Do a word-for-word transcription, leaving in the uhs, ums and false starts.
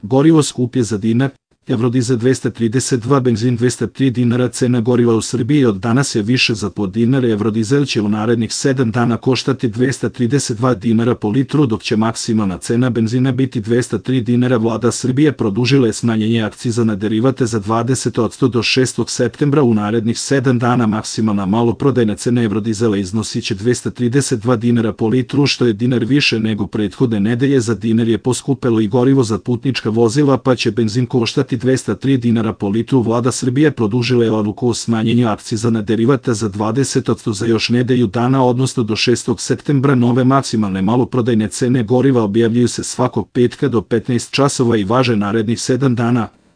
Gorivo skuplje za dinar, Eurodizel dvesta trideset dva, benzin dvesta tri dinara. Cena goriva u Srbiji od danas je više za po dinar. Eurodizel će u narednih sedam dana koštati dvesta trideset dva dinara po litru, dok će maksimalna cena benzina biti dvesta tri dinara. Vlada Srbije produžila je smanjenje akciza na derivate za dvadeset posto do šestog septembra. U narednih sedam dana maksimalna maloprodajna cena Eurodizela iznosiće dvesta trideset dva dinara po litru, što je dinar više nego prethodne nedelje. Za dinar je poskupelo i gorivo za putnička vozila, pa će benzin koštati dvesta tri dinara po litru. Vlada Srbije produžila je odluku o smanjenju akciza na derivate za dvadeset posto za još nedelju dana, odnosno do šestog septembra. Nove maksimalne maloprodajne cene goriva objavljuju se svakog petka do petnaest časova i važe narednih sedam dana.